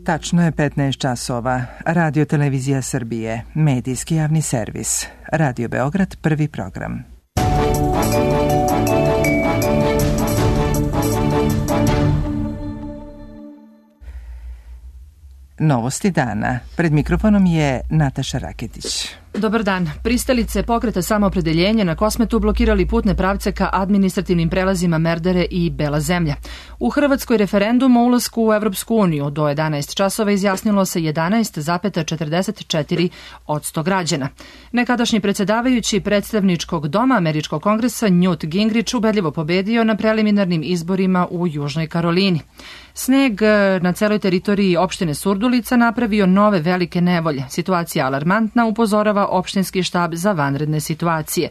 Tačno je 15 časova. Radio Televizija Srbije, medijski javni servis. Radio Beograd, prvi program. Novosti dana. Pred mikrofonom je Nataša Raketić. Dobar dan. Pristalice pokreta Samoopredeljenje na Kosmetu blokirali putne pravce ka administrativnim prelazima Merdare i Bela zemlja. U Hrvatskoj referendum o ulasku u Evropsku uniju do 11 časova izjasnilo se 11,44% građana. Nekadašnji predsjedavajući predstavničkog doma Američkog kongresa Newt Gingrich ubedljivo pobedio na preliminarnim izborima u Južnoj Karolini. Sneg na celoj teritoriji opštine Surdulica napravio nove velike nevolje. Situacija alarmantna, upozorava opštinski štab za vanredne situacije.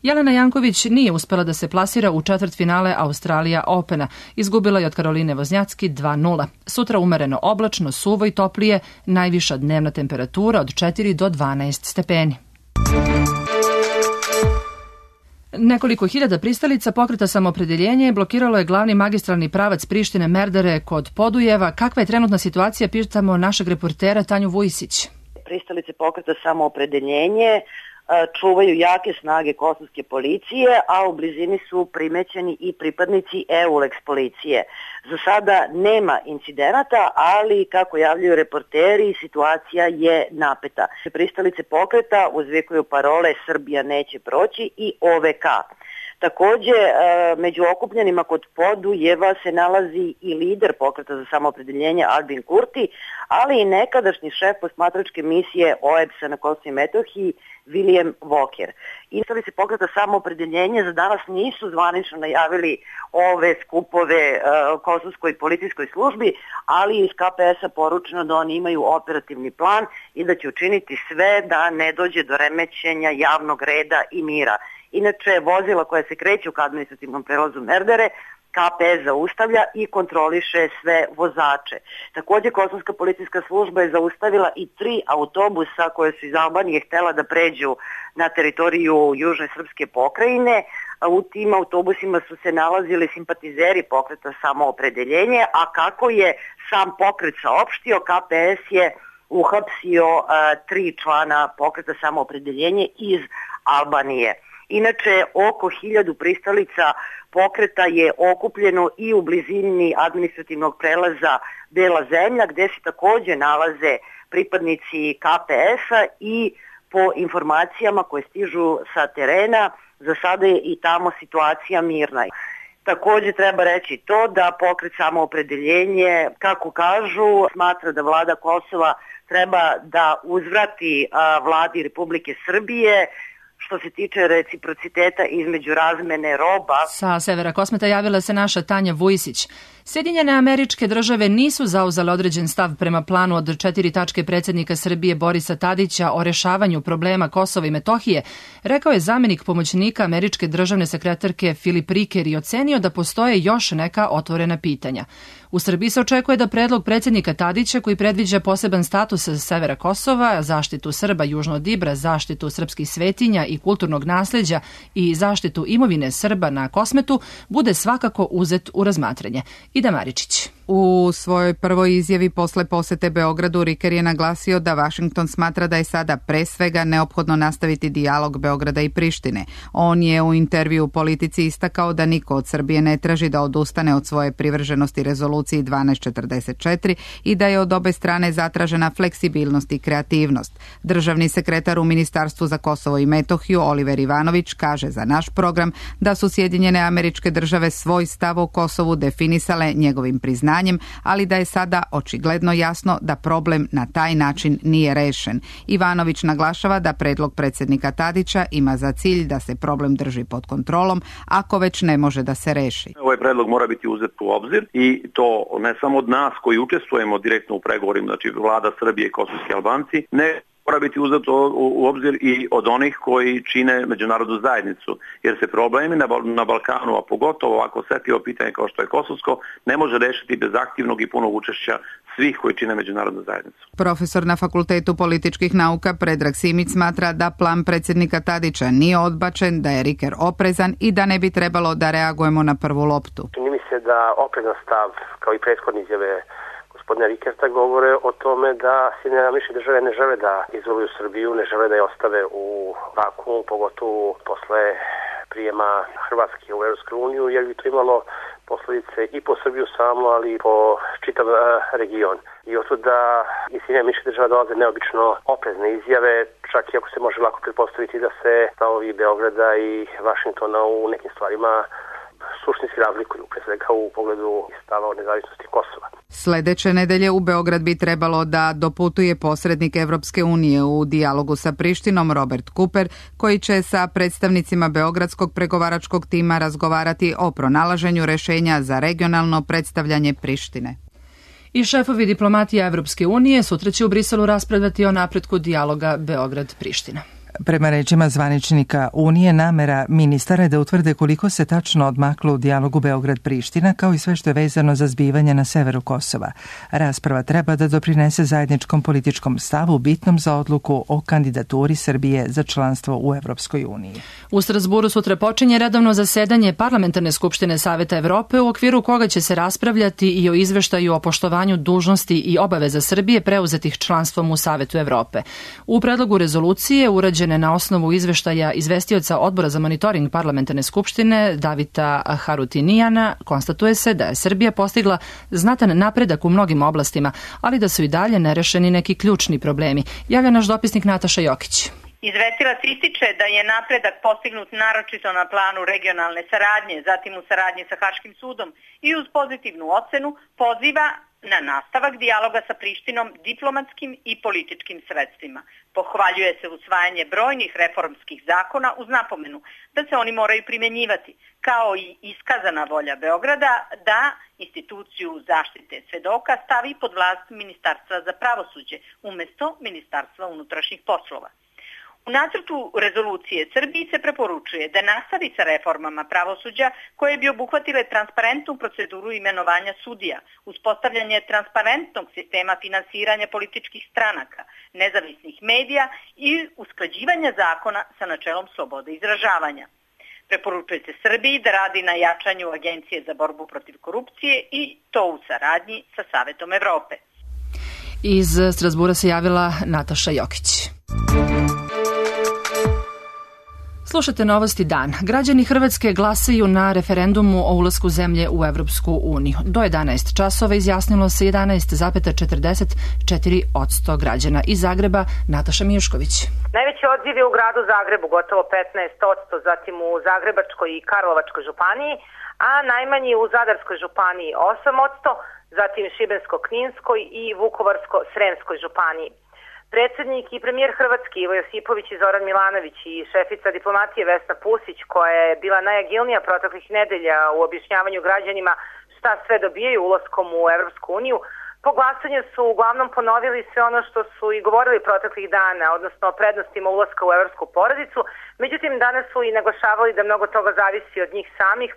Jelena Janković nije uspela da se plasira u četvrtfinale Australija Opena. Izgubila je od Karoline Voznjacki 2:0. Sutra umereno oblačno, suvo i toplije, najviša dnevna temperatura od 4 do 12 stepeni. Nekoliko hiljada pristalica pokreta Samoopredeljenje blokiralo je glavni magistralni pravac Prištine Merdare kod Podujeva. Kakva je trenutna situacija, pitamo našeg reportera Tanju Vujisić. Pristalice pokreta Samoopredeljenje čuvaju jake snage kosovske policije, a u blizini su primećeni i pripadnici EULEX policije. Za sada nema incidenata, ali kako javljaju reporteri, situacija je napeta. Pristalice pokreta uzvikuju parole Srbija neće proći i OVK. Takođe, među okupljenima kod Podujeva se nalazi i lider pokreta za Samoopredeljenje Albin Kurti, ali i nekadašnji šef posmatračke misije OEBS-a na Kosovu i Metohiji William Walker. Pristalice pokreta Samoopredeljenje za danas nisu zvanično najavili ove skupove kosovskoj policijskoj službi, ali iz KPS-a poručeno da oni imaju operativni plan i da će učiniti sve da ne dođe do remećenja javnog reda i mira. Inače, vozila koja se kreću ka administrativnom prelazu Merdare, KPS zaustavlja i kontroliše sve vozače. Takođe, kosovska policijska služba je zaustavila i 3 autobusa koje su iz Albanije htela da pređu na teritoriju Južne srpske pokrajine. U tim autobusima su se nalazili simpatizeri pokreta Samoopredeljenje, a kako je sam pokret saopštio, KPS je uhapsio 3 člana pokreta Samoopredeljenje iz Albanije. Inače, oko 1000 pristalica pokreta je okupljeno i u blizini administrativnog prelaza Bela zemlja, gde se takođe nalaze pripadnici KPS-a i po informacijama koje stižu sa terena, za sada je i tamo situacija mirna. Takođe treba reći to da pokret Samoopredeljenje, kako kažu, smatra da vlada Kosova treba da uzvrati vladi Republike Srbije što se tiče reciprociteta između razmene roba. Sa severa Kosmeta javila se naša Tanja Vujisić. Sjedinjene Američke Države nisu zauzele određen stav prema planu od 4 tačke predsjednika Srbije Borisa Tadića o rešavanju problema Kosova i Metohije, rekao je zamenik pomoćnika američke državne sekretarke Filip Riker i ocenio da postoje još neka otvorena pitanja. U Srbiji se očekuje da predlog predsjednika Tadića, koji predviđa poseban status severa Kosova, zaštitu Srba južno od Ibra, zaštitu srpskih svetinja i kulturnog nasleđa i zaštitu imovine Srba na Kosmetu, bude svakako uzet u razmatranje. Ida Maričić. U svojoj prvoj izjavi posle posete Beogradu Riker je naglasio da Vašington smatra da je sada pre svega neophodno nastaviti dijalog Beograda i Prištine. On je u intervju u Politici istakao da niko od Srbije ne traži da odustane od svoje privrženosti rezoluciji 1244 i da je od obe strane zatražena fleksibilnost i kreativnost. Državni sekretar u Ministarstvu za Kosovo i Metohiju Oliver Ivanović kaže za naš program da su Sjedinjene Američke Države svoj stav o Kosovu definisale njegovim priznanjem, ali da je sada očigledno jasno da problem na taj način nije rešen. Ivanović naglašava da predlog predsjednika Tadića ima za cilj da se problem drži pod kontrolom, ako već ne može da se reši. Ovaj predlog mora biti uzet u obzir i to ne samo od nas koji učestvujemo direktno u pregovorima, znači vlada Srbije i kosovski Albanci, ne mora biti uzeto u obzir i od onih koji čine međunarodnu zajednicu, jer se problemi na Balkanu, a pogotovo ovako osetljivo pitanje kao što je kosovsko, ne može rešiti bez aktivnog i punog učešća svih koji čine međunarodnu zajednicu. Profesor na Fakultetu političkih nauka Predrag Simić smatra da plan predsjednika Tadića nije odbačen, da je Riker oprezan i da ne bi trebalo da reagujemo na prvu loptu. Čini mi se da oprezan stav, kao i prethodne izjave gospodina Rikerta govore o tome da Sjedinjene Američke Države ne žele da izoluju Srbiju, ne žele da je ostave u vakuumu, pogotovo posle prijema Hrvatske u Evropsku uniju, jer bi to imalo posljedice i po Srbiju samo, ali i po čitav region. I otud da iz Sjedinjenih Američkih Država dolaze neobično oprezne izjave, čak i ako se može lako pretpostaviti da se stavovi Beograda i Vašingtona u nekim stvarima suštinski razlikuju, pre svega u pogledu stava o nezavisnosti Kosova. Sledeće nedelje u Beograd bi trebalo da doputuje posrednik Evropske unije u dijalogu sa Prištinom Robert Cooper, koji će sa predstavnicima beogradskog pregovaračkog tima razgovarati o pronalaženju rešenja za regionalno predstavljanje Prištine. I šefovi diplomatije Evropske unije sutra će u Briselu raspravljati o napretku dijaloga Beograd-Priština. Prema rečima zvaničnika Unije, namera ministara je da utvrde koliko se tačno odmaklo u dijalogu Beograd-Priština, kao i sve što je vezano za zbivanje na severu Kosova. Rasprava treba da doprinese zajedničkom političkom stavu bitnom za odluku o kandidaturi Srbije za članstvo u Evropskoj uniji. U Strasburu sutra počinje redovno zasedanje Parlamentarne skupštine Saveta Evrope, u okviru koga će se raspravljati i o izveštaju o poštovanju dužnosti i obaveza Srbije preuzetih članstvom u Savetu Evrope. U predlogu rezolucije urađene na osnovu izveštaja izvestioca Odbora za monitoring Parlamentarne skupštine Davida Harutinijana konstatuje se da je Srbija postigla znatan napredak u mnogim oblastima, ali da su i dalje nerešeni neki ključni problemi. Javlja naš dopisnik Nataša Jokić. Izvestilac ističe da je napredak postignut naročito na planu regionalne saradnje, zatim u saradnji sa Haškim sudom i uz pozitivnu ocenu poziva na nastavak dijaloga sa Prištinom diplomatskim i političkim sredstvima. Pohvaljuje se usvajanje brojnih reformskih zakona uz napomenu da se oni moraju primjenjivati, kao i iskazana volja Beograda da instituciju zaštite svedoka stavi pod vlast Ministarstva za pravosuđe umjesto Ministarstva unutrašnjih poslova. U nacrtu rezolucije Srbiji se preporučuje da nastavi sa reformama pravosuđa koje bi obuhvatile transparentnu proceduru imenovanja sudija, uspostavljanje transparentnog sistema finansiranja političkih stranaka, nezavisnih medija i usklađivanja zakona sa načelom slobode izražavanja. Preporučuje se Srbiji da radi na jačanju Agencije za borbu protiv korupcije i to u saradnji sa Savetom Evrope. Iz Strasbura se javila Nataša Jokić. Slušate Novosti dan. Građani Hrvatske glasaju na referendumu o ulasku zemlje u Evropsku uniju. Do 11 časova izjasnilo se 11,44% građana. Iz Zagreba Nataša Mijušković. Najveći odziv je u gradu Zagrebu, gotovo 15%, zatim u Zagrebačkoj i Karlovačkoj županiji, a najmanji u Zadarskoj županiji 8%, zatim Šibensko-Kninskoj i Vukovarsko-Sremskoj županiji. Predsjednik i premijer Hrvatske Ivo Josipović i Zoran Milanović i šefica diplomatije Vesna Pusić, koja je bila najagilnija proteklih nedelja u objašnjavanju građanima šta sve dobijaju ulaskom u Evropsku uniju, po glasanju su uglavnom ponovili sve ono što su i govorili proteklih dana, odnosno o prednostima ulaska u evropsku porodicu. Međutim, danas su i naglašavali da mnogo toga zavisi od njih samih,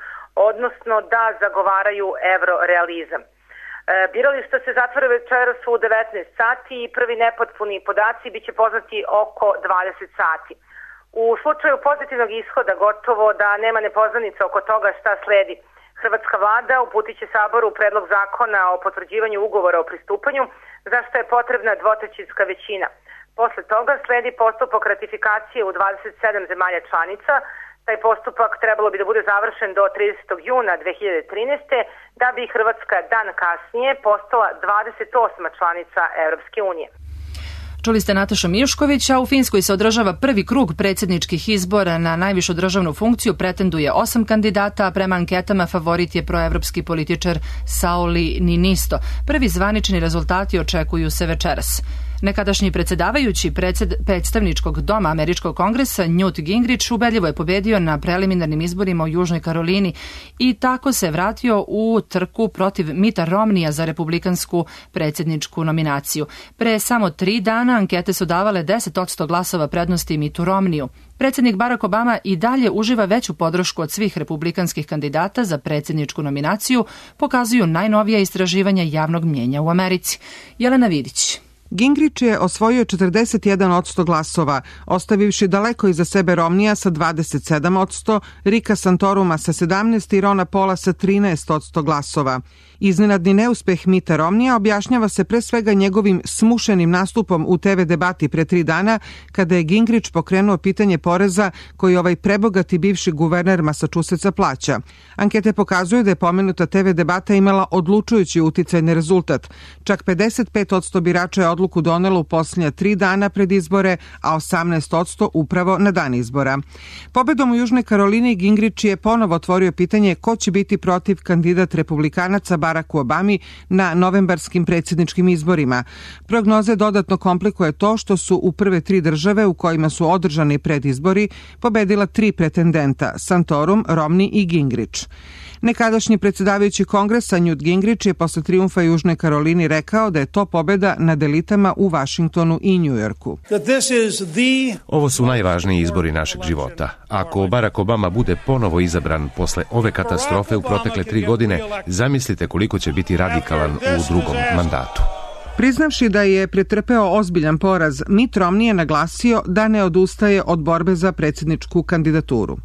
odnosno da zagovaraju evrorealizam. Birališta se zatvara večeras u 19 sati i prvi nepotpuni podaci biće poznati oko 20 sati. U slučaju pozitivnog ishoda gotovo da nema nepoznanica oko toga šta sledi. Hrvatska vlada uputit će Saboru predlog zakona o potvrđivanju ugovora o pristupanju, za što je potrebna dvotrećinska većina. Posle toga sledi postupak ratifikacije u 27 zemalja članica. Taj postupak trebalo bi da bude završen do 30. juna 2013. da bi Hrvatska dan kasnije postala 28. članica Evropske unije. Čuli ste Natašu Mijušković, a u Finskoj se održava prvi krug predsjedničkih izbora. Na najvišu državnu funkciju pretenduje 8 kandidata, a prema anketama favorit je proevropski političar Sauli Niinisto. Prvi zvanični rezultati očekuju se večeras. Nekadašnji predsjedavajući predstavničkog doma Američkog kongresa Newt Gingrich ubedljivo je pobedio na preliminarnim izborima u Južnoj Karolini i tako se vratio u trku protiv Mitta Romneya za republikansku predsjedničku nominaciju. Pre samo 3 dana ankete su davale 10% glasova prednosti Mittu Romneyu. Predsjednik Barack Obama i dalje uživa veću podršku od svih republikanskih kandidata za predsjedničku nominaciju, pokazuju najnovija istraživanja javnog mnjenja u Americi. Jelena Vidić. Gingrich je osvojio 41% glasova, ostavivši daleko iza sebe Romnija sa 27%, Ricka Santoruma sa 17% i Rona Paula sa 13% glasova. Iznenadni neuspeh Mitta Romnija objašnjava se pre svega njegovim smušenim nastupom u TV debati pre 3 dana, kada je Gingrich pokrenuo pitanje poreza koji ovaj prebogati bivši guverner Massachusettsa plaća. Ankete pokazuju da je pomenuta TV debata imala odlučujući uticajni rezultat. Čak 55% birača je odluku donelo u posljednja 3 dana pred izbore, a 18% upravo na dan izbora. Pobedom u Južnoj Karolini Gingrich je ponovo otvorio pitanje ko će biti protiv kandidat republikanaca Baracku Obami na novembarskim predsjedničkim izborima. Prognoze dodatno komplikuje to što su u prve 3 države u kojima su održani predizbori pobedila 3 pretendenta, Santorum, Romney i Gingrich. Nekadašnji predsjedavajući kongresa Newt Gingrich je posle trijumfa Južnoj Karolini rekao da je to pobeda nad elitama u Vašingtonu i Njujorku. Ovo su najvažniji izbori našeg života. Ako Barack Obama bude ponovo izabran posle ove katastrofe u protekle 3 godine, zamislite koliko će biti radikalan u drugom mandatu. Priznavši da je pretrpeo ozbiljan poraz, Mitt Romney je naglasio da ne odustaje od borbe za predsjedničku kandidaturu.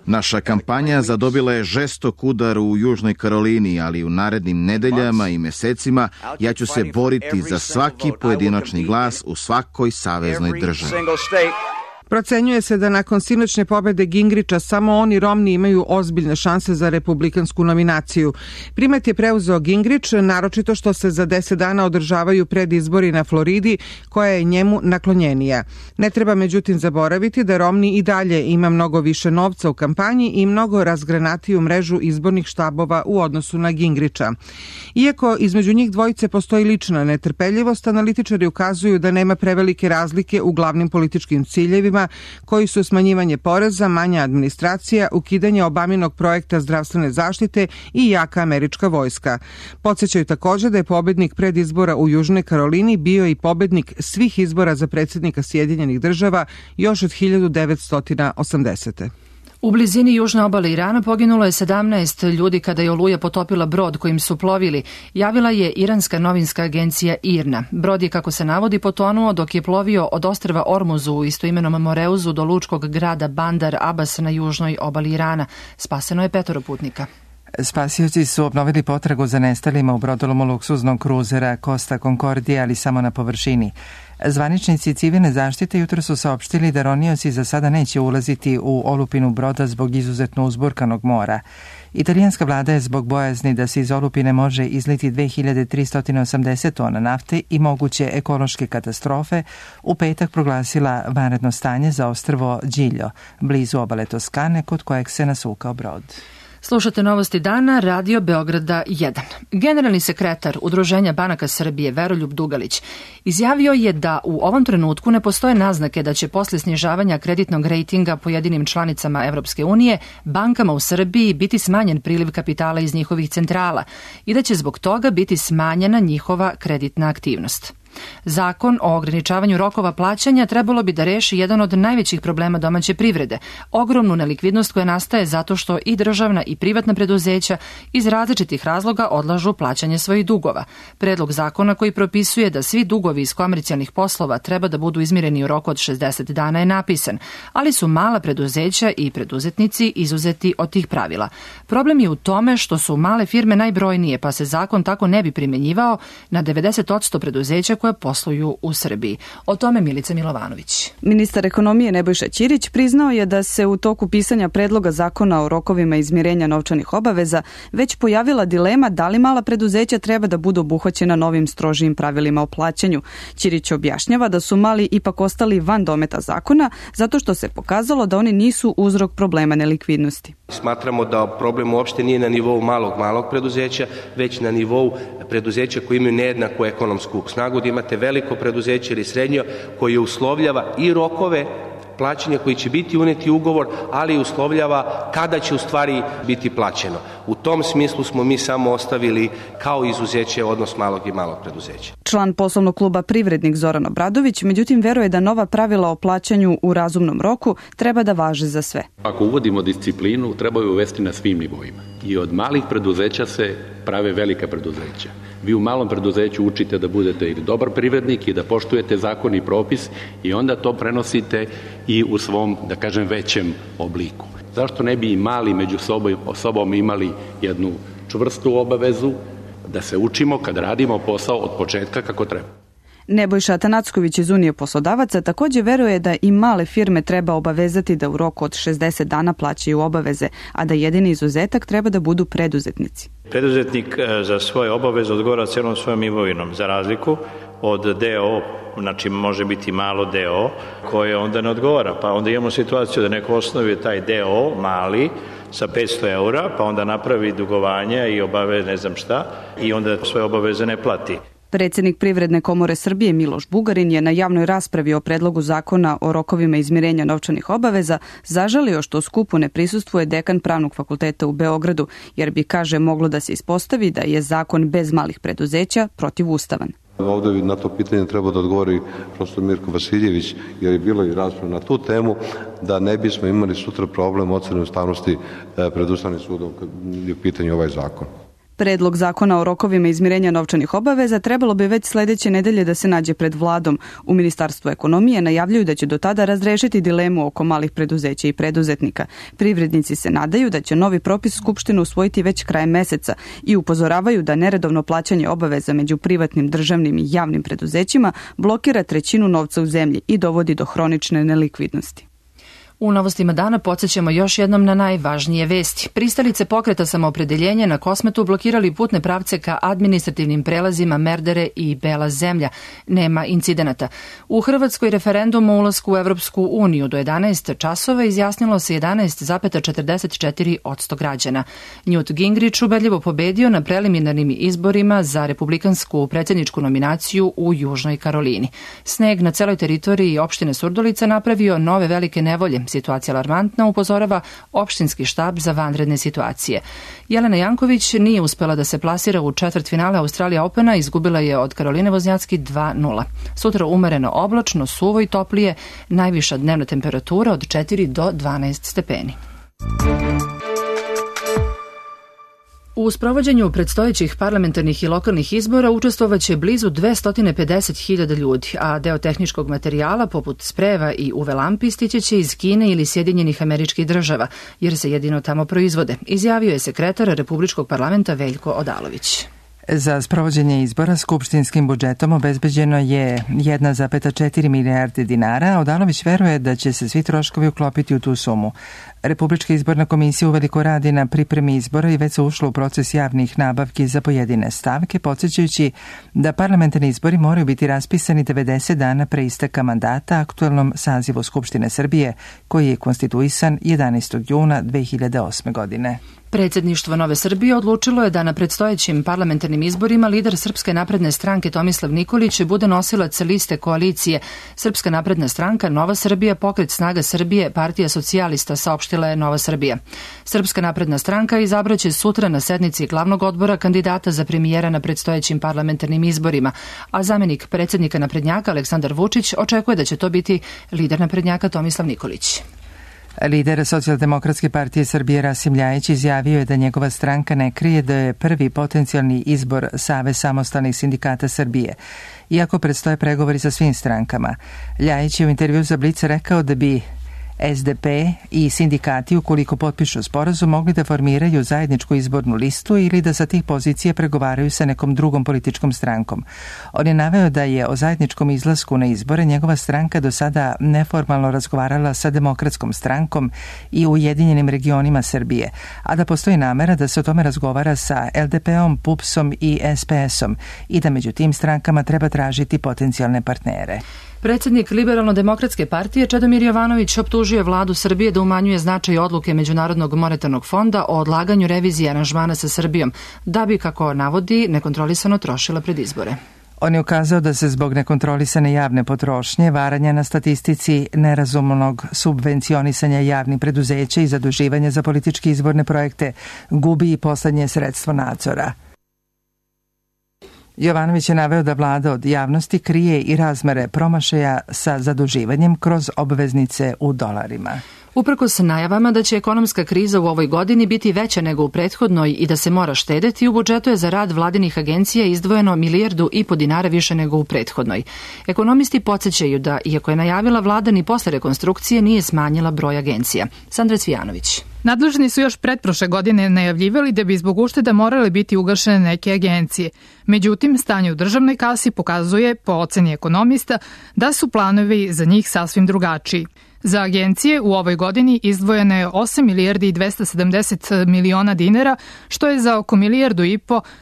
Naša kampanja zadobila je žestok udar u Južnoj Karolini, ali u narednim nedeljama i mesecima ja ću se boriti za svaki pojedinačni glas u svakoj saveznoj državi. Procenjuje se da nakon sinoćne pobede Gingricha samo on i Romney imaju ozbiljne šanse za republikansku nominaciju. Primet je preuzeo Gingrich, naročito što se za 10 dana održavaju predizbori na Floridi, koja je njemu naklonjenija. Ne treba međutim zaboraviti da Romney i dalje ima mnogo više novca u kampanji i mnogo razgranatiju mrežu izbornih štabova u odnosu na Gingricha. Iako između njih dvojice postoji lična netrpeljivost, analitičari ukazuju da nema prevelike razlike u glavnim političkim ciljevima, koji su smanjivanje poreza, manja administracija, ukidanje Obaminog projekta zdravstvene zaštite i jaka američka vojska. Podsjećaju također da je pobednik predizbora u Južnoj Karolini bio i pobednik svih izbora za predsjednika Sjedinjenih država još od 1980. U blizini južne obale Irana poginulo je 17 ljudi kada je oluja potopila brod kojim su plovili, javila je iranska novinska agencija IRNA. Brod je, kako se navodi, potonuo dok je plovio od ostrva Ormuzu u istoimenom Moreuzu do lučkog grada Bandar Abbas na južnoj obali Irana. Spaseno je 5 putnika. Spasioci su obnovili potragu za nestalima u brodolomu luksuznog kruzera Costa Concordia, ali samo na površini. Zvaničnici civilne zaštite jutro su saopštili da ronioci za sada neće ulaziti u olupinu broda zbog izuzetno uzburkanog mora. Italijanska vlada je zbog bojazni da se iz olupine može izliti 2380 tona nafte i moguće ekološke katastrofe u petak proglasila vanredno stanje za ostrvo Giglio, blizu obale Toskane, kod kojeg se nasukao brod. Slušate novosti dana, Radio Beograda 1. Generalni sekretar Udruženja banaka Srbije Veroljub Dugalić izjavio je da u ovom trenutku ne postoje naznake da će posle snižavanja kreditnog rejtinga pojedinim članicama Evropske unije bankama u Srbiji biti smanjen priliv kapitala iz njihovih centrala i da će zbog toga biti smanjena njihova kreditna aktivnost. Zakon o ograničavanju rokova plaćanja trebalo bi da reši jedan od najvećih problema domaće privrede, ogromnu nelikvidnost koja nastaje zato što i državna i privatna preduzeća iz različitih razloga odlažu plaćanje svojih dugova. Predlog zakona koji propisuje da svi dugovi iz komercijalnih poslova treba da budu izmireni u roku od 60 dana je napisan, ali su mala preduzeća i preduzetnici izuzeti od tih pravila. Problem je u tome što su male firme najbrojnije, pa se zakon tako ne bi primjenjivao na 90% preduzeća koja posluju u Srbiji. O tome Milica Milovanović. Ministar ekonomije Nebojša Ćirić priznao je da se u toku pisanja predloga zakona o rokovima izmirenja novčanih obaveza već pojavila dilema da li mala preduzeća treba da budu obuhvaćena novim strožijim pravilima o plaćanju. Ćirić objašnjava da su mali ipak ostali van dometa zakona zato što se pokazalo da oni nisu uzrok problema nelikvidnosti. Smatramo da problem uopšte nije na nivou malog preduzeća, već na nivou preduzeća koji imaju nejednaku ekonomsku snagu, da imate veliko preduzeće ili srednje koje uslovljava i rokove plaćanja koji će biti uneti u ugovor, ali i uslovljava kada će u stvari biti plaćeno. U tom smislu smo mi samo ostavili kao izuzeće odnos malog i malog preduzeća. Član poslovnog kluba Privrednik Zoran Obradović, međutim, veruje da nova pravila o plaćanju u razumnom roku treba da važe za sve. Ako uvodimo disciplinu, treba ju uvesti na svim nivoima. I od malih preduzeća se prave velika preduzeća. Vi u malom preduzeću učite da budete ili dobar privrednik i da poštujete zakon i propis i onda to prenosite i u svom, da kažem, većem obliku. Zašto ne bi i mali među sobom imali jednu čvrstu obavezu da se učimo kad radimo posao od početka kako treba? Nebojša Atanacković iz Unije poslodavaca također veruje da i male firme treba obavezati da u roku od 60 dana plaćaju obaveze, a da jedini izuzetak treba da budu preduzetnici. Preduzetnik za svoje obaveze odgovara cijelom svojom imovinom, za razliku od DO, znači može biti malo DO, koje onda ne odgovara. Pa onda imamo situaciju da neko osnovi taj DO mali sa 500 eura, pa onda napravi dugovanja i obave ne znam šta i onda svoje obaveze ne plati. Predsjednik Privredne komore Srbije Miloš Bugarin je na javnoj raspravi o predlogu zakona o rokovima izmirenja novčanih obaveza zažalio što skupu ne prisustvuje dekan Pravnog fakulteta u Beogradu, jer bi, kaže, moglo da se ispostavi da je zakon bez malih preduzeća protivustavan. Ovdje na to pitanje treba da odgovori profesor Mirko Vasiljević, jer je bilo i rasprava na tu temu, da ne bismo imali sutra problem ocjene ustavnosti pred Ustavnim sudom kad je u pitanju ovaj zakon. Predlog zakona o rokovima izmirenja novčanih obaveza trebalo bi već sljedeće nedelje da se nađe pred vladom. U Ministarstvu ekonomije najavljuju da će do tada razrešiti dilemu oko malih preduzeća i preduzetnika. Privrednici se nadaju da će novi propis Skupštine usvojiti već krajem meseca i upozoravaju da neredovno plaćanje obaveza među privatnim, državnim i javnim preduzećima blokira trećinu novca u zemlji i dovodi do hronične nelikvidnosti. U novostima dana podsjećamo još jednom na najvažnije vesti. Pristalice pokreta Samoopredeljenje na Kosmetu blokirali putne pravce ka administrativnim prelazima Merdare i Bela zemlja. Nema incidenata. U Hrvatskoj referendum o ulasku u Evropsku uniju do 11 časova izjasnilo se 11,44% građana. Newt Gingrich ubedljivo pobedio na preliminarnim izborima za republikansku predsjedničku nominaciju u Južnoj Karolini. Sneg na celoj teritoriji opštine Surdulica napravio nove velike nevolje. Situacija alarmantna, upozorava opštinski štab za vanredne situacije. Jelena Janković nije uspela da se plasira u četvrtfinale Australija Opena, izgubila je od Karoline Voznjacki 2:0. Sutra umereno oblačno, suvo i toplije, najviša dnevna temperatura od 4 do 12 stepeni. U sprovođenju predstojećih parlamentarnih i lokalnih izbora učestvovaće blizu 250.000 ljudi, a deo tehničkog materijala poput sprejeva i UV lampi stići će iz Kine ili Sjedinjenih Američkih Država, jer se jedino tamo proizvode, izjavio je sekretar Republičkog parlamenta Veljko Odalović. Za sprovođenje izbora skupštinskim budžetom obezbeđeno je 1,4 milijarde dinara, a Odalović veruje da će se svi troškovi uklopiti u tu sumu. Republička izborna komisija uveliko radi na pripremi izbora i već se ušlo u proces javnih nabavki za pojedine stavke, podsjećajući da parlamentarni izbori moraju biti raspisani 90 dana pre isteka mandata aktuelnom sazivu Skupštine Srbije, koji je konstituisan 11. juna 2008. godine. Predsjedništvo Nove Srbije odlučilo je da na predstojećim parlamentarnim izborima lider Srpske napredne stranke Tomislav Nikolić bude nosilac liste koalicije Srpska napredna stranka, Nova Srbija, Pokret snaga Srbije, Partija socijalista, saopštila je Nova Srbija. Srpska napredna stranka izabraće sutra na sednici glavnog odbora kandidata za premijera na predstojećim parlamentarnim izborima, a zamjenik predsjednika naprednjaka Aleksandar Vučić očekuje da će to biti lider naprednjaka Tomislav Nikolić. Lider Socijaldemokratske partije Srbije Rasim Ljajić izjavio je da njegova stranka ne krije da je prvi potencijalni izbor Savez samostalnih sindikata Srbije, iako predstoje pregovori sa svim strankama. Ljajić je u intervju za Blic rekao da bi SDP i sindikati, ukoliko potpišu sporazum, mogli da formiraju zajedničku izbornu listu ili da sa tih pozicija pregovaraju sa nekom drugom političkom strankom. On je naveo da je o zajedničkom izlasku na izbore njegova stranka do sada neformalno razgovarala sa Demokratskom strankom i Ujedinjenim regionima Srbije, a da postoji namera da se o tome razgovara sa LDP-om, PUPS-om i SPS-om i da među tim strankama treba tražiti potencijalne partnere. Predsjednik Liberalno-demokratske partije Čedomir Jovanović optužio vladu Srbije da umanjuje značaj odluke Međunarodnog monetarnog fonda o odlaganju revizije aranžmana sa Srbijom, da bi, kako navodi, nekontrolisano trošila pred izbore. On je ukazao da se zbog nekontrolisane javne potrošnje, varanja na statistici, nerazumnog subvencionisanja javnih preduzeća i zaduživanja za političke izborne projekte gubi i poslednje sredstvo nadzora. Jovanović je naveo da vlada od javnosti krije i razmere promašaja sa zaduživanjem kroz obveznice u dolarima. Uprkos najavama da će ekonomska kriza u ovoj godini biti veća nego u prethodnoj i da se mora štedeti, u budžetu je za rad vladinih agencija izdvojeno 1,5 milijardu dinara više nego u prethodnoj. Ekonomisti podsjećaju da, iako je najavila vlada, ni posle rekonstrukcije nije smanjila broj agencija. Sandra Cvijanović. Nadležni su još pretprošle godine najavljivali da bi zbog ušteda morale biti ugašene neke agencije. Međutim, stanje u državnoj kasi pokazuje, po oceni ekonomista, da su planovi za njih sasvim drugačiji. Za agencije u ovoj godini izdvojeno je 8 milijardi i 270 miliona dinara, što je za oko 1,5 milijardu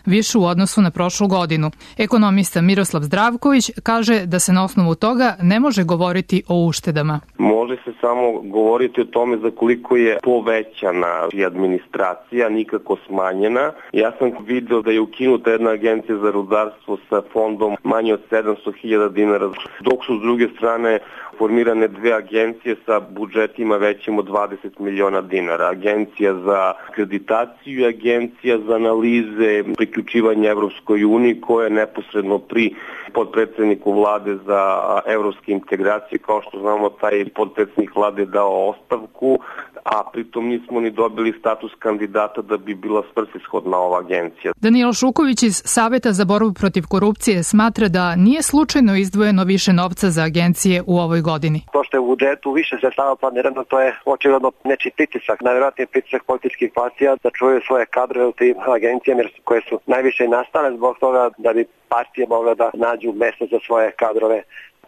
više u odnosu na prošlu godinu. Ekonomista Miroslav Zdravković kaže da se na osnovu toga ne može govoriti o uštedama. Može se samo govoriti o tome za koliko je povećana administracija, nikako smanjena. Ja sam video da je ukinuta jedna agencija za rudarstvo sa fondom manje od 700.000 dinara, dok su s druge strane formirane 2 agencije sa budžetima većim od 20 miliona dinara. Agencija za akreditaciju i agencija za analize priključivanja Evropskoj uniji, koja je neposredno pri podpredsedniku vlade za evropske integracije. Kao što znamo, taj podpredsednik vlade dao ostavku, a pritom nismo ni dobili status kandidata da bi bila svrsishodna ova agencija. Danilo Šuković iz Saveta za borbu protiv korupcije smatra da nije slučajno izdvojeno više novca za agencije u ovoj godini. To što je u budžetu više sredstava planirano, to je očigledno nečiji pritisak, najvjerojatnije pritisak političkih partija da čuvaju svoje kadrove u tim agencijama koje su najviše i nastale zbog toga da bi partije mogle da nađu mesto za svoje kadrove.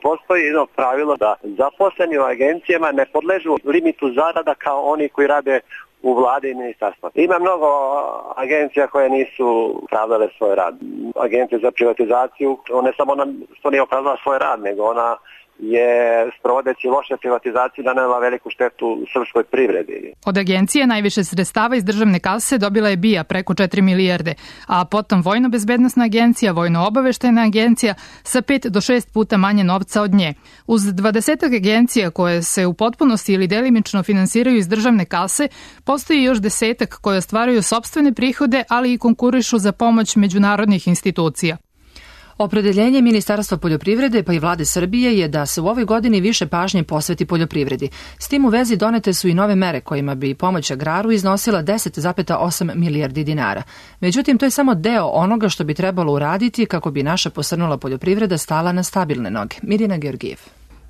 Postoji jedno pravilo da zaposleni u agencijama ne podležu limitu zarada kao oni koji rade u vladi i ministarstvu. Ima mnogo agencija koje nisu opravdale svoj rad. Agencija za privatizaciju, ne samo ona što nije opravdala svoj rad, nego ona je, sprovodeći loše privatizacije, nanela veliku štetu srpskoj privredi. Od agencije najviše sredstava iz državne kase dobila je BIA preko 4 milijarde, a potom Vojno-bezbednosna agencija, Vojno-obaveštajna agencija sa 5 do 6 puta manje novca od nje. Uz 20 agencija koje se u potpunosti ili delimično finansiraju iz državne kase, postoji još 10 koje ostvaruju sopstvene prihode, ali i konkurišu za pomoć međunarodnih institucija. Opredeljenje Ministarstva poljoprivrede pa i vlade Srbije je da se u ovoj godini više pažnje posveti poljoprivredi. S tim u vezi donete su i nove mere kojima bi pomoć agraru iznosila 10,8 milijardi dinara. Međutim, to je samo deo onoga što bi trebalo uraditi kako bi naša posrnula poljoprivreda stala na stabilne noge. Mirjana Georgijev.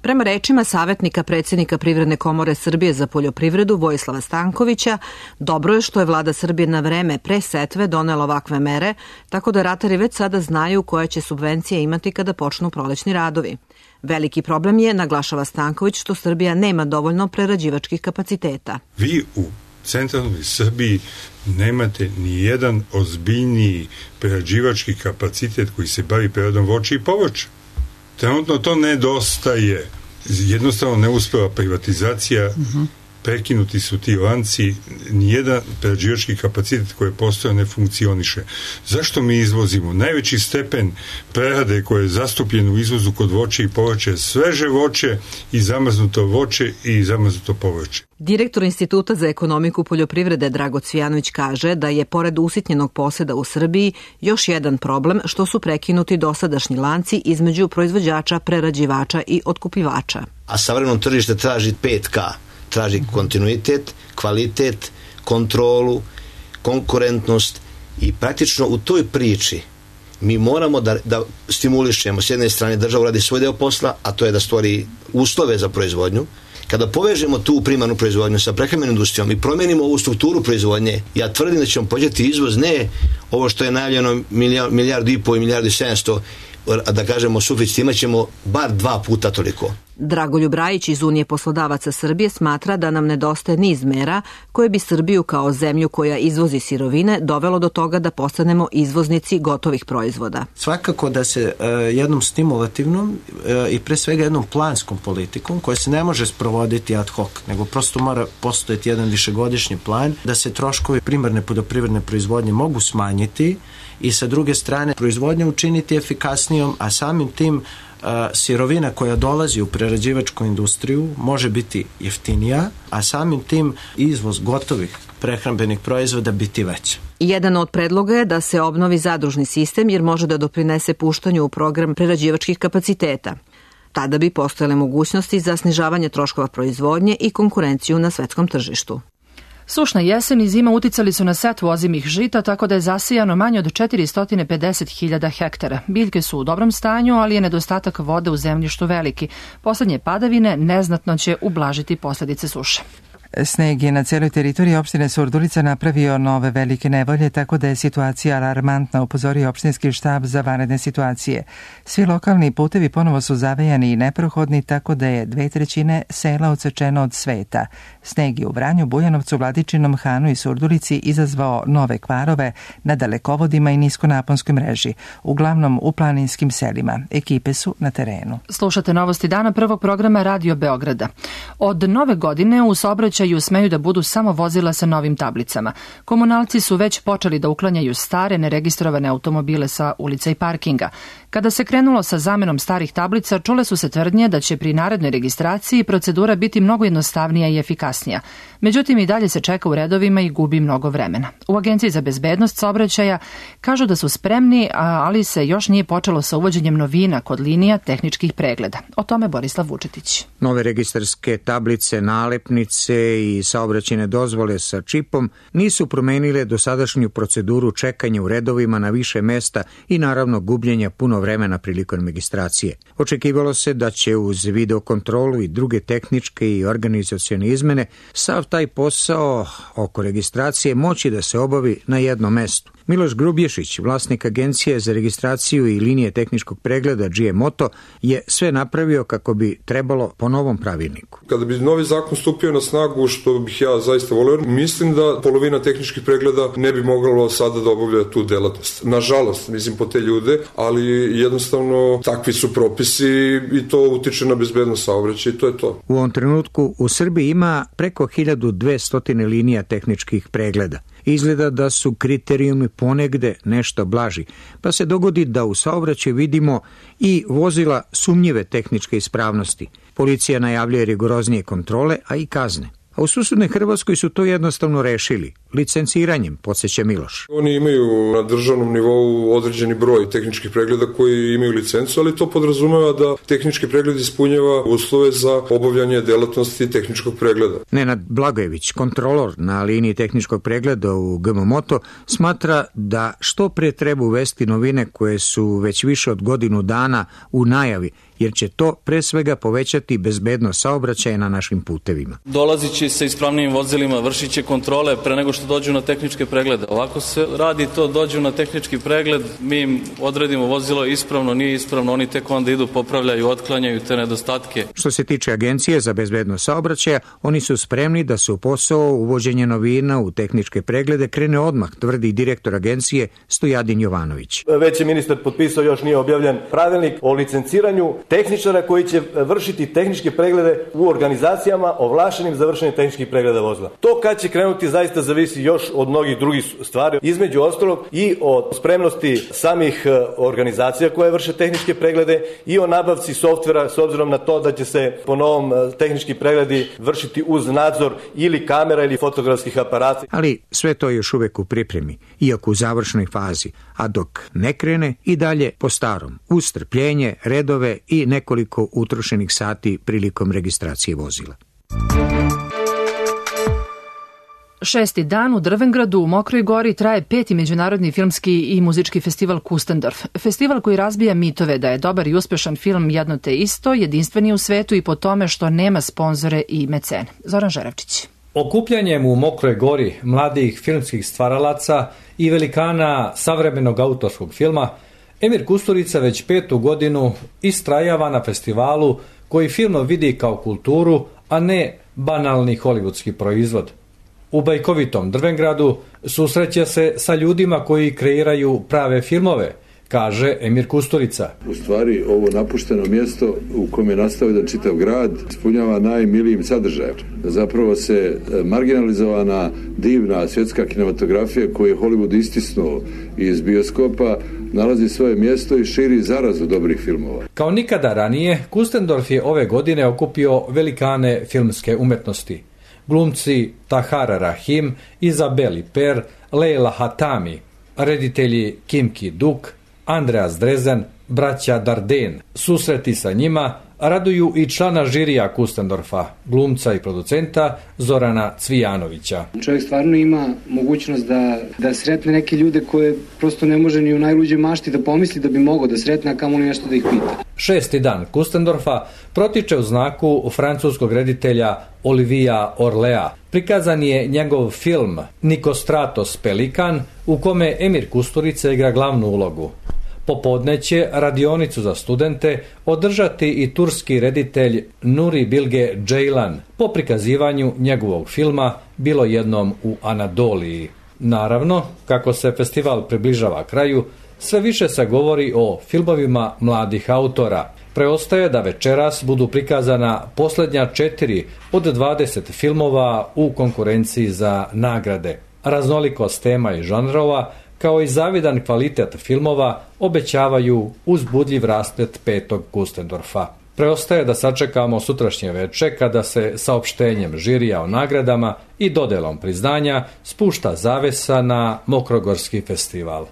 Prema rečima savjetnika predsjednika Privredne komore Srbije za poljoprivredu Vojislava Stankovića, dobro je što je vlada Srbije na vreme pre setve donela ovakve mere, tako da ratari već sada znaju koje će subvencije imati kada počnu prolećni radovi. Veliki problem je, naglašava Stanković, što Srbija nema dovoljno prerađivačkih kapaciteta. Vi u centralnoj Srbiji nemate ni jedan ozbiljniji prerađivački kapacitet koji se bavi preradom voća i povrća. Trenutno to nedostaje. Jednostavno ne uspeva privatizacija, prekinuti su ti lanci, nijedan prerađivački kapacitet koji je postojao ne funkcioniše. Zašto mi izvozimo? Najveći stepen prerade koje je zastupljen u izvozu kod voća i povrća je sveže voće i zamrznuto voće i zamrznuto povrće. Direktor Instituta za ekonomiku poljoprivrede Drago Cvijanović kaže da je pored usitnjenog poseda u Srbiji još jedan problem što su prekinuti dosadašnji lanci između proizvođača, prerađivača i otkupljivača. A savremeno tržište traži 5K. Traži kontinuitet, kvalitet, kontrolu, konkurentnost i praktično u toj priči mi moramo da stimulišemo. S jedne strane država radi svoj deo posla, a to je da stvori uslove za proizvodnju. Kada povežemo tu primarnu proizvodnju sa prehrambenom industrijom i promenimo ovu strukturu proizvodnje, ja tvrdim da ćemo povećati izvoz, ne ovo što je najavljeno 1,5 milijardu i 1,7 milijardi, da kažemo suficit, imat ćemo bar 2 puta toliko. Dragoljub Rajić iz Unije poslodavaca Srbije smatra da nam nedostaje niz mera koje bi Srbiju kao zemlju koja izvozi sirovine dovelo do toga da postanemo izvoznici gotovih proizvoda. Svakako da se jednom stimulativnom i pre svega jednom planskom politikom koja se ne može sprovoditi ad hoc, nego prosto mora postojati jedan višegodišnji plan da se troškovi primarne poljoprivredne proizvodnje mogu smanjiti i sa druge strane proizvodnju učiniti efikasnijom, a samim tim sirovina koja dolazi u prerađivačku industriju može biti jeftinija, a samim tim izvoz gotovih prehrambenih proizvoda biti veći. Jedan od predloga je da se obnovi zadružni sistem jer može da doprinese puštanju u program prerađivačkih kapaciteta. Tada bi postojale mogućnosti za snižavanje troškova proizvodnje i konkurenciju na svetskom tržištu. Sušna jesen i zima uticali su na setvu ozimih žita, tako da je zasijano manje od 450.000 hektara. Biljke su u dobrom stanju, ali je nedostatak vode u zemljištu veliki. Poslednje padavine neznatno će ublažiti posljedice suše. Sneg je na cijeloj teritoriji opštine Surdulica napravio nove velike nevolje, tako da je situacija alarmantna, upozorio opštinski štab za vanredne situacije. Svi lokalni putevi ponovo su zavejani i neprohodni, tako da je 2/3 sela odsečeno od sveta. Sneg je u Vranju, Bujanovcu, Vladičinom Hanu i Surdulici izazvao nove kvarove na dalekovodima i niskonaponskoj mreži, uglavnom u planinskim selima. Ekipe su na terenu. Slušate novosti dana prvog programa Radio Beograda. Od nove godine u saobraćaju smeju da budu samo vozila sa novim tablicama. Komunalci su već počeli da uklanjaju stare, neregistrovane automobile sa ulica i parkinga. Kada se krenulo sa zamenom starih tablica, čule su se tvrdnje da će pri narednoj registraciji procedura biti mnogo jednostavnija i efikasnija. Međutim, i dalje se čeka u redovima i gubi mnogo vremena. U Agenciji za bezbednost saobraćaja kažu da su spremni, ali se još nije počelo sa uvođenjem novina kod linija tehničkih pregleda. O tome Borislav Vučetić. Nove registarske tablice, nalepnice i saobraćajne dozvole sa čipom nisu promenile dosadašnju proceduru čekanja u redovima na više mesta i naravno gubljenja puno vremena prilikom registracije. Očekivalo se da će uz videokontrolu i druge tehničke i organizacione izmene sav taj posao oko registracije moći da se obavi na jednom mestu. Miloš Grubješić, vlasnik Agencije za registraciju i linije tehničkog pregleda GMOTO, je sve napravio kako bi trebalo po novom pravilniku. Kada bi novi zakon stupio na snagu, što bih ja zaista volio, mislim da polovina tehničkih pregleda ne bi moglo sada da obavlja tu delatnost. Nažalost, mislim po te ljude, ali jednostavno takvi su propisi i to utiče na bezbednost saobraćaja i to je to. U ovom trenutku u Srbiji ima preko 1200 linija tehničkih pregleda. Izgleda da su kriterijumi ponegde nešto blaži, pa se dogodi da u saobraćaju vidimo i vozila sumnjive tehničke ispravnosti. Policija najavljuje rigoroznije kontrole, a i kazne. A u susednoj Hrvatskoj su to jednostavno rešili, licenciranjem, podsjeća Miloš. Oni imaju na državnom nivou određeni broj tehničkih pregleda koji imaju licencu, ali to podrazumeva da tehnički pregled ispunjava uslove za obavljanje delatnosti tehničkog pregleda. Nenad Blagojević, kontrolor na liniji tehničkog pregleda u GMMOTO, smatra da što pre treba uvesti novine koje su već više od godinu dana u najavi, jer će to pre svega povećati bezbednost saobraćaja na našim putevima. Dolazit će sa ispravnim vozilima, vršit će kontrole pre nego što dođu na tehničke preglede. Ovako se radi to, dođu na tehnički pregled, mi im odredimo vozilo ispravno, nije ispravno, oni tek onda idu, popravljaju, otklanjaju te nedostatke. Što se tiče Agencije za bezbednost saobraćaja, oni su spremni da se u posao uvođenje novina u tehničke preglede krene odmah, tvrdi direktor Agencije Stojadin Jovanović. Već je ministar potpisao, još nije objavljen pravilnik o licenciranju tehničara koji će vršiti tehničke preglede u organizacijama ovlašenim za vršenje tehničkih pregleda vozila. To kad će krenuti zaista zavisi još od mnogih drugih stvari, između ostalog i od spremnosti samih organizacija koje vrše tehničke preglede i o nabavci softvera s obzirom na to da će se po novom tehnički pregledi vršiti uz nadzor ili kamera ili fotografskih aparata. Ali sve to je još uvek u pripremi, iako u završnoj fazi, a dok ne krene i dalje po starom, uz strpljenje, redove i nekoliko utrošenih sati prilikom registracije vozila. 6. dan u Drvengradu u Mokroj Gori traje 5. međunarodni filmski i muzički festival Kustendorf. Festival koji razbija mitove da je dobar i uspešan film jedno te isto, jedinstveni u svetu i po tome što nema sponzore i mecene. Zoran Žerevčić. Okupljanjem u Mokroj Gori mladih filmskih stvaralaca i velikana savremenog autorskog filma, Emir Kusturica već 5. godinu istrajava na festivalu koji film vidi kao kulturu, a ne banalni hollywoodski proizvod. U bajkovitom Drvengradu susreće se sa ljudima koji kreiraju prave filmove, kaže Emir Kusturica. U stvari, ovo napušteno mjesto u kojem je nastao jedan čitav grad ispunjava najmilijim sadržajem. Zapravo se marginalizovana, divna svjetska kinematografija koju je Hollywood istisnuo iz bioskopa nalazi svoje mjesto i širi zarazu dobrih filmova. Kao nikada ranije, Kustendorf je ove godine okupio velikane filmske umetnosti. Glumci Tahar Rahim, Izabeli Per, Leila Hatami, reditelji Kim Ki-duk, Andreas Drezen, braća Darden. Susreti sa njima raduju i člana žirija Kustendorfa, glumca i producenta Zorana Cvijanovića. Čovjek stvarno ima mogućnost da sretne neke ljude koje prosto ne može ni u najluđoj mašti da pomisli da bi mogao da sretne, a kamoli nešto da ih pita. 6. dan Kustendorfa protiče u znaku francuskog reditelja Olivia Orlea. Prikazan je njegov film Nikostratos Pelikan, u kome Emir Kusturica igra glavnu ulogu. Popodne će radionicu za studente održati i turski reditelj Nuri Bilge Ceylan po prikazivanju njegovog filma Bilo jednom u Anadoliji. Naravno, kako se festival približava kraju, sve više se govori o filmovima mladih autora. Preostaje da večeras budu prikazana posljednja 4 od 20 filmova u konkurenciji za nagrade. Raznolikost tema i žanrova, kao i zavidan kvalitet filmova, obećavaju uzbudljiv rasplet 5. Kustendorfa. Preostaje da sačekamo sutrašnje veče kada se saopštenjem žirija o nagradama i dodelom priznanja spušta zavesa na Mokrogorski festival.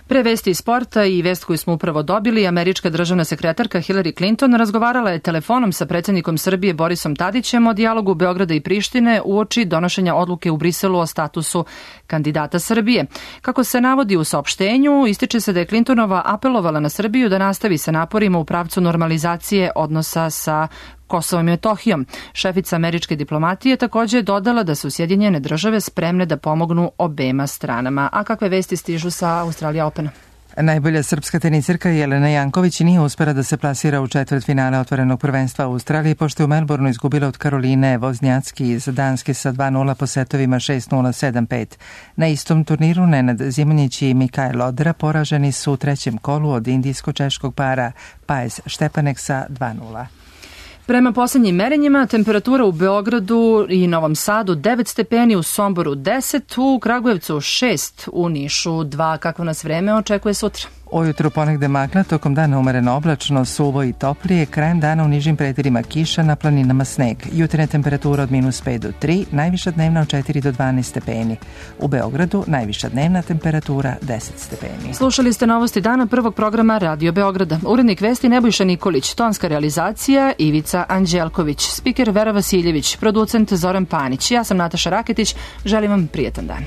Pre vesti iz sporta i vest koju smo upravo dobili, američka državna sekretarka Hillary Clinton razgovarala je telefonom sa predsjednikom Srbije Borisom Tadićem o dijalogu Beograda i Prištine uoči donošenja odluke u Briselu o statusu kandidata Srbije. Kako se navodi u saopštenju, ističe se da je Clintonova apelovala na Srbiju da nastavi sa naporima u pravcu normalizacije odnosa sa Kosovom i Metohijom. Šefica američke diplomatije također je dodala da su Sjedinjene države spremne da pomognu obema stranama. A kakve vesti stižu sa Australija Opena? Najbolja srpska tenisirka Jelena Janković nije uspela da se plasira u četvrtfinale otvorenog prvenstva u Australiji, pošto je u Melbourneu izgubila od Karoline Voznjacki iz Danske sa 2-0 po setovima 6-0, 7-5. Na istom turniru Nenad Zimonjić i Mikael Odra poraženi su u trećem kolu od indijsko-češkog para Paes Štepanek sa 2-0. Prema posljednjim merenjima, temperatura u Beogradu i Novom Sadu 9 stepeni, u Somboru 10, u Kragujevcu 6, u Nišu 2. Kakvo nas vreme očekuje sutra? Ujutru ponegde magla, tokom dana umereno oblačno, suvo i toplije, krajem dana u nižim predelima kiša, na planinama sneg. Jutarnja temperatura od -5 do 3, najviša dnevna od 4 do 12 stepeni. U Beogradu najviša dnevna temperatura 10 stepeni. Slušali ste novosti dana prvog programa Radio Beograda. Urednik vesti Nebojša Nikolić, tonska realizacija Ivica Anđelković, spiker Vera Vasiljević, producent Zoran Panić. Ja sam Nataša Raketić, želim vam prijetan dan.